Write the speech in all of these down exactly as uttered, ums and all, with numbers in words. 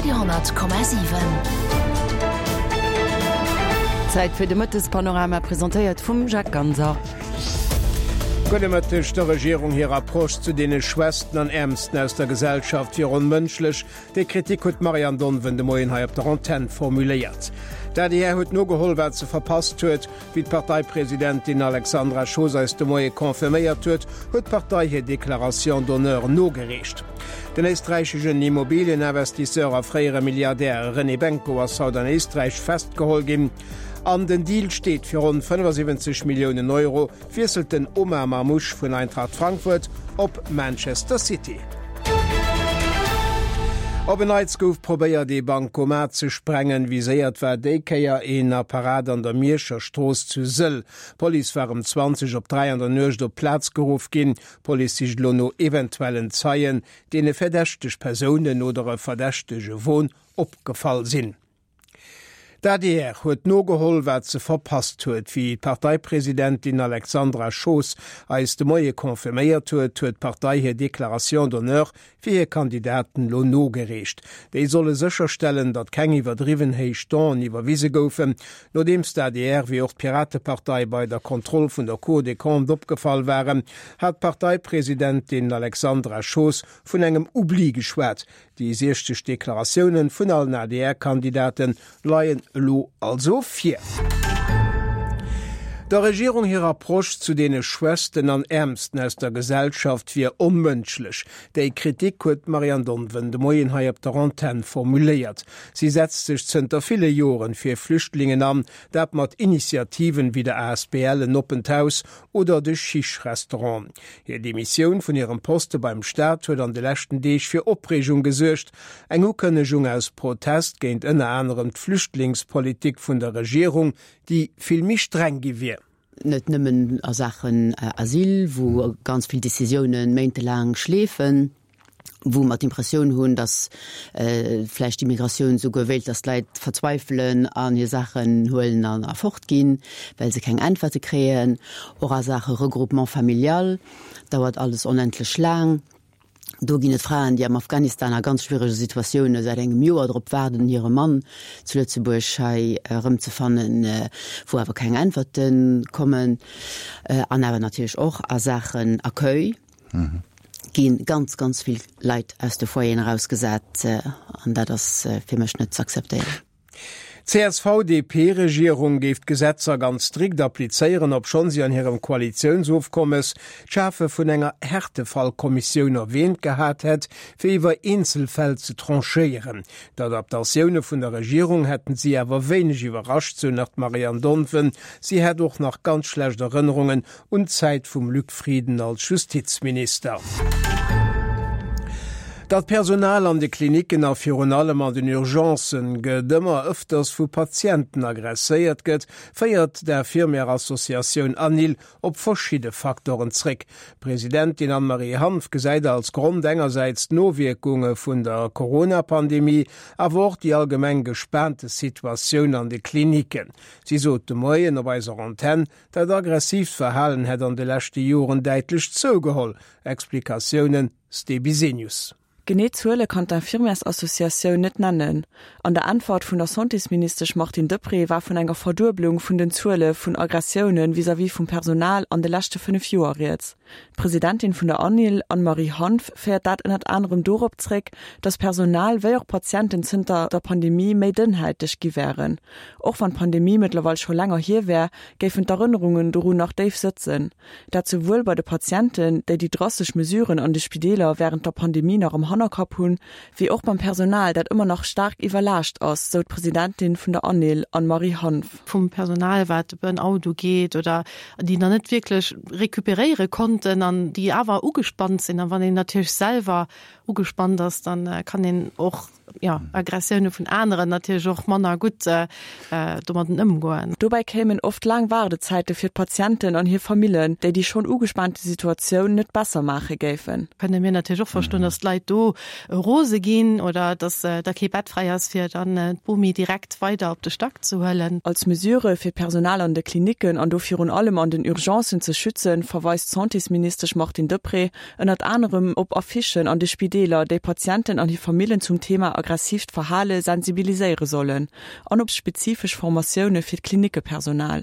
Radio honnert Komma siwen. Zäit fir de Mëttespanorama, presentéiert vum Jacques Ganser. Gudde Mëtteg. Der Regierung hir Approche zu deene Schwächsten an Äermsten aus der Gesellschaft wier onmënschlech. Déi Kritik huet d'Marianne Donven de Moien hei op der Antenn formuléiert. D'ADR huet nogeholl, wat se verpasst huet. Wéi d'Parteipresidentin Alexandra Schoos eis de Moie confirméiert huet, huet d'Partei hir Déclaration d'honneur nogereecht. Den éisträicheschen Immobilieninvestisseur a fréiere Milliardär René Benko ass haut an Éisträich festgeholl ginn. An den Deal steet, Fir ronn fënnefasiwwenzeg Milliounen Euro wiesselt den Omar Marmoush vun Eintracht Frankfurt op Manchester City. Op en Neits gouf probéiert ee Bancomat ze sprengen. Viséiert war déi Kéier een Apparat an der Mierscher Strooss zu Sëll. D'Police war ëm zwanzeg op dräi an der Nuecht op d'Plaz geruff ginn. D'Police sicht elo no eventuellen Zeien, deene verdächteg Persounen oder e verdächtege Won opgefall sinn. D'adr huet nogeholl, wat se verpasst huet. Wéi d'Parteipresidentin Alexandra Schoos eis de Moie confirméiert huet, huet d'Partei hir Déclaration d'honneur fir hir Kandidaten elo nogereecht. Déi solle sécherstellen, datt keng iwwerdriwwen héich Donen iwwerwise goufen. Nodeems d'ADR wéi och d'Piratepartei bei der Kontroll vun der Cour des Comptes opgefall waren, hat d'Parteipresidentin Alexandra Schoos vun engem Oubli geschwat. Déi siechzeg Deklaratioune vun allen A D R-Kandidate leien elo also vir. Der Regierung hir Approche zu deene Schwächsten an Äermsten aus der Gesellschaft wier onmënschlech. Déi Kritik huet d'Marianne Donven de Moien hei op der Antenn formuléiert. Si setzt sech zënter ville Joren fir Flüchtlingen an, dat mat Initiativen wéi der A S B L En oppent Haus oder de Chiche-Restaurant. Hir Demissioun vun hirem Poste beim Staat huet an de leschten Deeg fir Opreegung gesuergt. Eng Ukënnegung aus Protest géint ënner anerem d'Flüchtlingspolitik vun der Regierung, déi vill méi streng gi wier. Net nëmmen a Saachen Asyl, wou ganz vill Decisiounen méintelaang schleefen, wou mer d'Impressioun hunn, datt vläicht d'Immigratioun souguer wéilt, datt d'Leit verzweifelen an hir Saachen huelen an a fortginn, well se keng Äntwerte kréien. Och a Saache Regroupement familial dauert alles onendlech laang. Do ginn et Fraen, déi am Afghanistan a ganz schwierege Situatioune säit engem Joer drop waarden, hire Mann zu Lëtzebuerg hei erëmzefannen, wou awer keng Äntwerte kommen. An awer natierlech och a Saachen Accueil gi ganz, ganz vill Leit aus de Foyeren erausgesat an dat ass fir mech net ze akzeptéieren. D'C S V D P-Regierung géif d'Gesetzer ganz strikt applizéieren, obschonn si an hirem Koalitiounsofkommes d'Schafe vun enger Härtefallkommissioun erwäänt gehat hätt, fir iwwer Eenzelfäll ze tranchéieren. D'Adaptatioune vun der Regierung hätten si awer wéineg iwwerrascht, sou nach d'Marianne Donven. Si hätt och nach ganz schlecht Erënnerungen un d'Zäit vum Luc Frieden als Justizminister. Datt d'Personal an de Klinicken a virun allem an den Urgencen gëtt ëmmer ëfters vu Patienten agresséiert gëtt, féiert d'Infirmière-Associatioun ANIL op verschidde Facteuren zréck. D'Presidentin Anne-Marie Hanff gesäit als Grond engersäits d'Nowierkunge vun der Corona-Pandemie, awer och déi allgemeng gespaante Situatioun an de Klinicken. Si sot de Moien op eiser Antenn, dat aggressiivt Verhalen hätt an de leschte Joren däitlech zougeholl. Explikatiounen Ste Bisenius. Genee Zuele kann d'Infirmièrsassociatioun net nennen. An der Äntwert vun der Santésministesch Martine Deprez war vun enger Verdueblung vun den Zuele vun Aggressioune vis-à-vis vum Personal an de leschte fënnef Joer rieds. D'Presidentin vun der ANIL, Anne-Marie Hanff, féiert dat ënnert anerem dorop zréck, datt Personal wéi och Patienten zënter der Pandemie méi dënnhäiteg gi wären. Och wann d'Pandemie mëttlerweil scho länger hier wär, géifen d'Erënnerungen dorun nach déif sëtzen. Dat souwuel bei de Patienten, déi déi drastesch Mesuren an de Spideeler wärend der Pandemie nach am Hannerkapp hunn, wéi och beim Personal, dat ëmmer nach staark iwwerlaascht ass, sou d'Presidentin vun der ANIL, Anne-Marie Hanff. Vum Personal, wat de Burnout ugeet oder déi nach net wierklech recuperéiere konnten an déi awer ugespannt sinn. An wann een natierlech selwer ugespannt ass, dann kann een och ja, Aggressioune vun aneren natierlech och manner gutt äh, domat ëmgoen. Dobäi kéimen oft laang Waardezäite fir d'Patienten an hir Familljen, déi déi schonn ugespaante Situatioun net besser maache géifen. Kënne mir natierlech och verstoen, dass d'Leit do do rose ginn oder dass da kee Bett fräi ass, fir dann d'Bomi direkt weider op de Stack ze huelen. Als Mesure, fir d'Personal an de Klinicken an do virun allem an den Urgencen ze schützen, verweist d'Santésministesch Martine Deprez ënnert anerem op Affichen an de Spideeler, déi Patienten an hir Famillen zum Thema aggressiivt Verhale sensibiliséiere sollen, an op spezifesch Formatioune fir d'Klinickepersonal.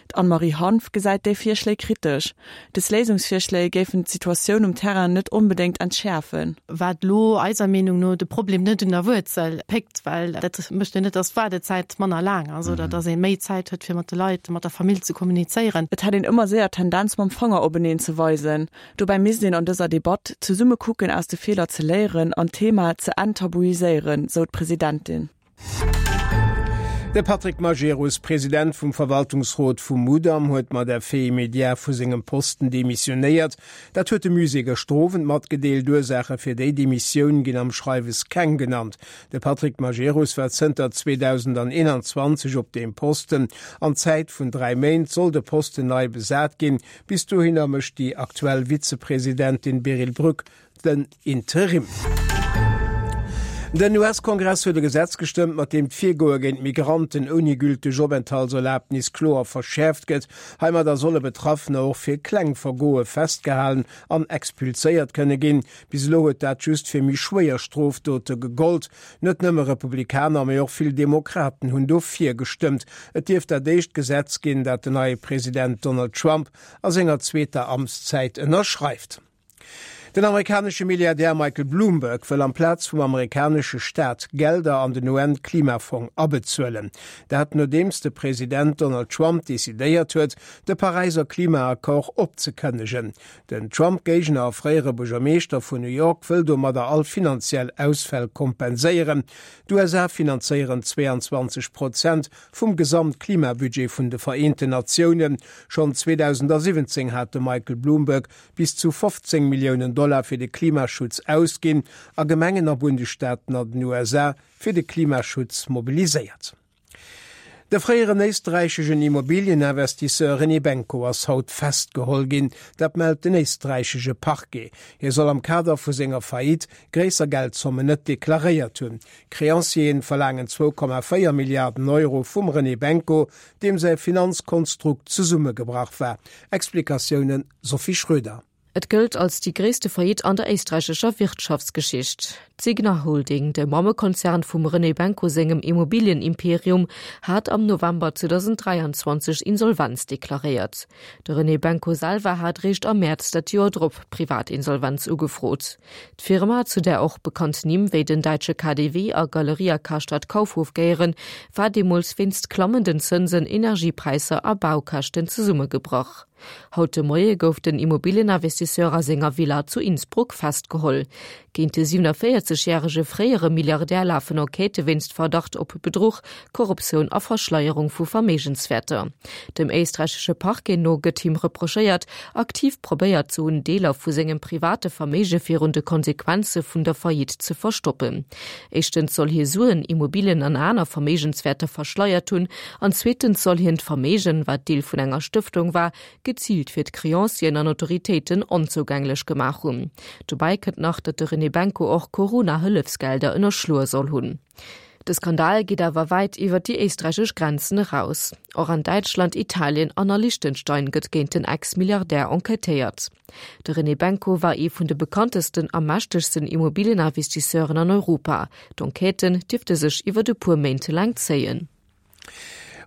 D'Anne-Marie Hanff gesäit déi Virschléi kritesch. Des Léisungsvirschléi géifen d'Situatioun um Terrain net onbedéngt entschäerfen. Wat elo eiser Meenung no de Problem net un der Wuerzel péckt, well dat mécht jo net, dass d'Waardezäit manner laang ass oder dass ee méi Zäit huet, fir mat de Leit, mat der Famill ze kommunizéieren. Et hätt een ëmmer séier d'Tendenz mam Fanger openeen ze weisen. Dobäi misst een an dëser Debatt zesumme kucken aus de Feeler ze léieren an d'Thema ze enttabuiséieren, sou d'Presidentin. De Patrick Majerus, President vum Verwaltungsrot vum Mudam, huet mat Effet immédiat vu sengem Posten demissionéiert. Dat huet de Musée gëschter Owend matgedeelt. D'Ursaache fir déi Demissioun ginn am Schreiwes keng genannt. De Patrick Majerus war zënter zweedausendeenanzwanzeg op deem Posten. An Zäit vun dräi Méint soll de Posten nei besat ginn. Bis dohinner mécht déi aktuell Vizepresidentin Beryl Brück den Interim. Den U S-Kongress huet e Gesetz gestëmmt, mat deem d'Virgoe géint Migranten ouni gülteg Openthaltserlabnis kloer verschäerft gëtt. Heimadder solle Betraffener och fir kleng Vergoe festgehalen an expulséiert kënne ginn. Bis elo huet dat just fir méi schwéier Strofdote gegollt. Net nëmme Republikaner, mee och vill Demokraten hunn dofir gestëmmt. Et dierft dat éischt Gesetz ginn, dat den neie President Donald Trump a senger zweeter Amtszäit ënnerschreift. Den amerikanesche Milliardär Michael Bloomberg wëll amplaz vum amerikanesche Staat Gelder an den U N-Klimafong abezuelen. Dat nodeems de President Donald Trump decidéiert huet, de Paräisser Klimaaccord opzekënnegen. Den Trump-Géigner a fréiere Buergermeeschter vun New York wëll domadder all finanziell Ausfäll kompenséieren. D'U S A finanzéieren zweeanzwanzeg Prozent vum Gesamtklimabudget vun de Vereenten Natiounen. Schonn zweedausendasiwwenzéng hat de Michael Bloomberg bis zu fofzéng Milliounen Dollar fir de Klimaschutz ausginn a Gemengen a Bundesstaaten an den U S A fir de Klimaschutz mobiliséiert. De fréieren éisträicheschen Immobilieninvestisseur René Benko ass haut festgeholl ginn, dat mellt den éisträichesche Parquet. Hie soll am Kader vu senger Faillite gréisser Geldzommen net deklaréiert hunn. Creancieren verlaangen zwou Komma véier Milliarden Euro vum René Benko, deem säi Finanzkonstrukt zesummegebrach war. Explikatiounen, Sophie Schröder. Et gëllt als déi gréisste Faillite an der éisträichescher Wirtschaftsgeschicht. D'Signa Holding, de Mammekonzern vum René Benko sengem Immobilienimperium, hat am November zweedausenddräianzwanzeg Insolvenz deklaréiert. De René Benko selwer hat réischt am Mäerz dat Joer drop Privatinsolvenz ugefrot. D'Firma, zu där och bekannt Nimm wéi den däitsche K D W a Galeria Karstadt Kaufhof gehéieren, war deemools wéinst klammenden Zënsen, Energiepräisser a Baukäschten zesummegebrach. Haut de Moie gouf den Immobilieninvestisseur a senger Villa zu Innsbruck festgeholl. Géint de siewenenvéierzeg järege fréiere Milliardär lafen Enquêtë wéinst Verdacht op Bedruch, Korruptioun a Verschleierung vu Verméigenswäerter. Dem éisträichesche Parquet no gëtt him reprochéiert, aktiv probéiert ze hunn, Deeler vu sengem private Verméige virun de Konsequenze vun der Faillite ze verstoppen. Éischtens soll hie Suen, Immobilien an aner Verméigenswäerter verschleiert hunn an zweetens soll hien d'Verméigen, wat Deel vun enger Stëftung war, geziilt fir d'Creancieren an Autoritéiten onzougänglech gemaach hunn. Dobäi kënnt nach, datt de René Benko och Corona-Hëllefsgelder ënnerschloe soll hunn. De Skandal geet awer wäit iwwer déi éisträichesch Grenzen eraus. Och an Däitschland, Italien an a Liechtenstein gëtt géint den Ex-Milliardär enquêtéiert. De René Benko war ee vun de bekanntesten a mächtegsten Immobilieninvestisseuren an Europa. D'Enquêten dierfte sech iwwer e puer Méint laang zéien.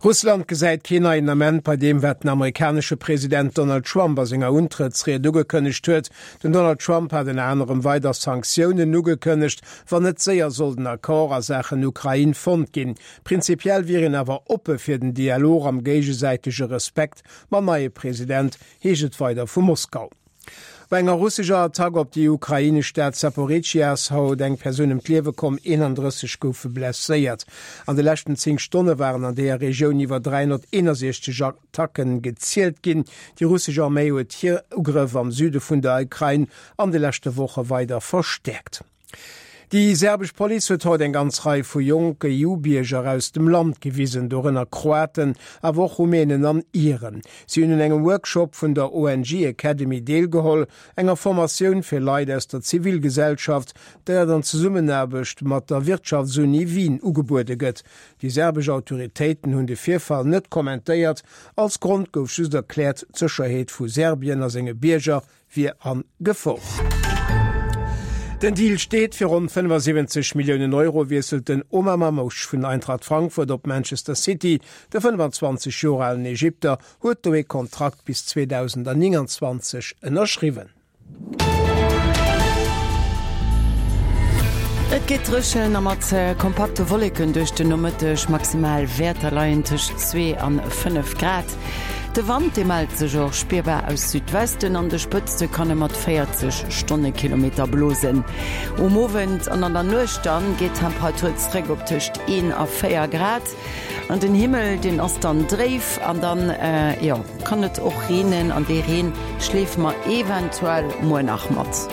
Russland gesäit keen neien Ament bei deem, wat den amerikanesche President Donald Trump a senger Untrëttsried ugekënnegt huet. Den Donald Trump hat ënner anerem weider Sanktiounen ugekënnegt, wann net séier sollt en Accord a Saachen Ukrain fonnt ginn. Prinzipiell wier een awer oppe fir den Dialog am géigesäitege Respekt mam neie President, heescht et weider vu Moskau. Bei enger russescher Attack op déi ukrainesch Stad Zaporizhzhia ass haut eng Persoun ëm d'Liewe komm, eenandrësseg goufe blesséiert. An de leschten zéng Stonne waren an deeër Regioun iwwer dräihonnerteenundsechzeg Attacken gezielt ginn. Déi russesch Arméi huet hir Ugrëff am Süde vun der Ukrain an de leschte Woche weider verstäerkt. Déi serbesch Police huet haut eng ganz Rei vu jonke EU-Bierger aus dem Land gewisen, dorënner Kroaten, awer och Rumänen an Iren. Si hunn un engem Workshop vun der ONG Academy deelgeholl, enger Formatioun fir Leit aus der Zivilgesellschaft, déi an Zesummenaarbecht mat der Wirtschaftsuni Wien ugebuede gëtt. Déi serbesch Autoritéiten hunn de Virfall net kommentéiert. Als Grond gouf just erkläert, d'Sécherheet vu Serbien a senge Bierger wier a Gefor. Den Deal steet, Fir ronn fënnefasiwwenzeg Milliounen Euro wiesselt den Omar Marmoush vun Eintracht Frankfurt op Manchester City. De fënnefanzwanzeg Joer alen Ägypter huet do ee Kontrakt bis zweedausendnénganzwanzeg ënnerschriwwen. Et geet dréchen a mat kompakte Wolleken duerch den Nomëtteg. Maximal Wäerter leien tëscht zwee an fënnef Grad. De Wand, dee mellt sech och spierbar aus Südwesten, an de Spëtzte kann e mat véierzeg Stonnekilometer blosen. Um Owend an an der Nuecht dann geet d'Temperatur zréck op tëscht een a véier Grad. An den Himmel, deen ass dann dréif an dann, jo, kann et och reenen an dee Reen schleefe mer eventuell muer nach mat.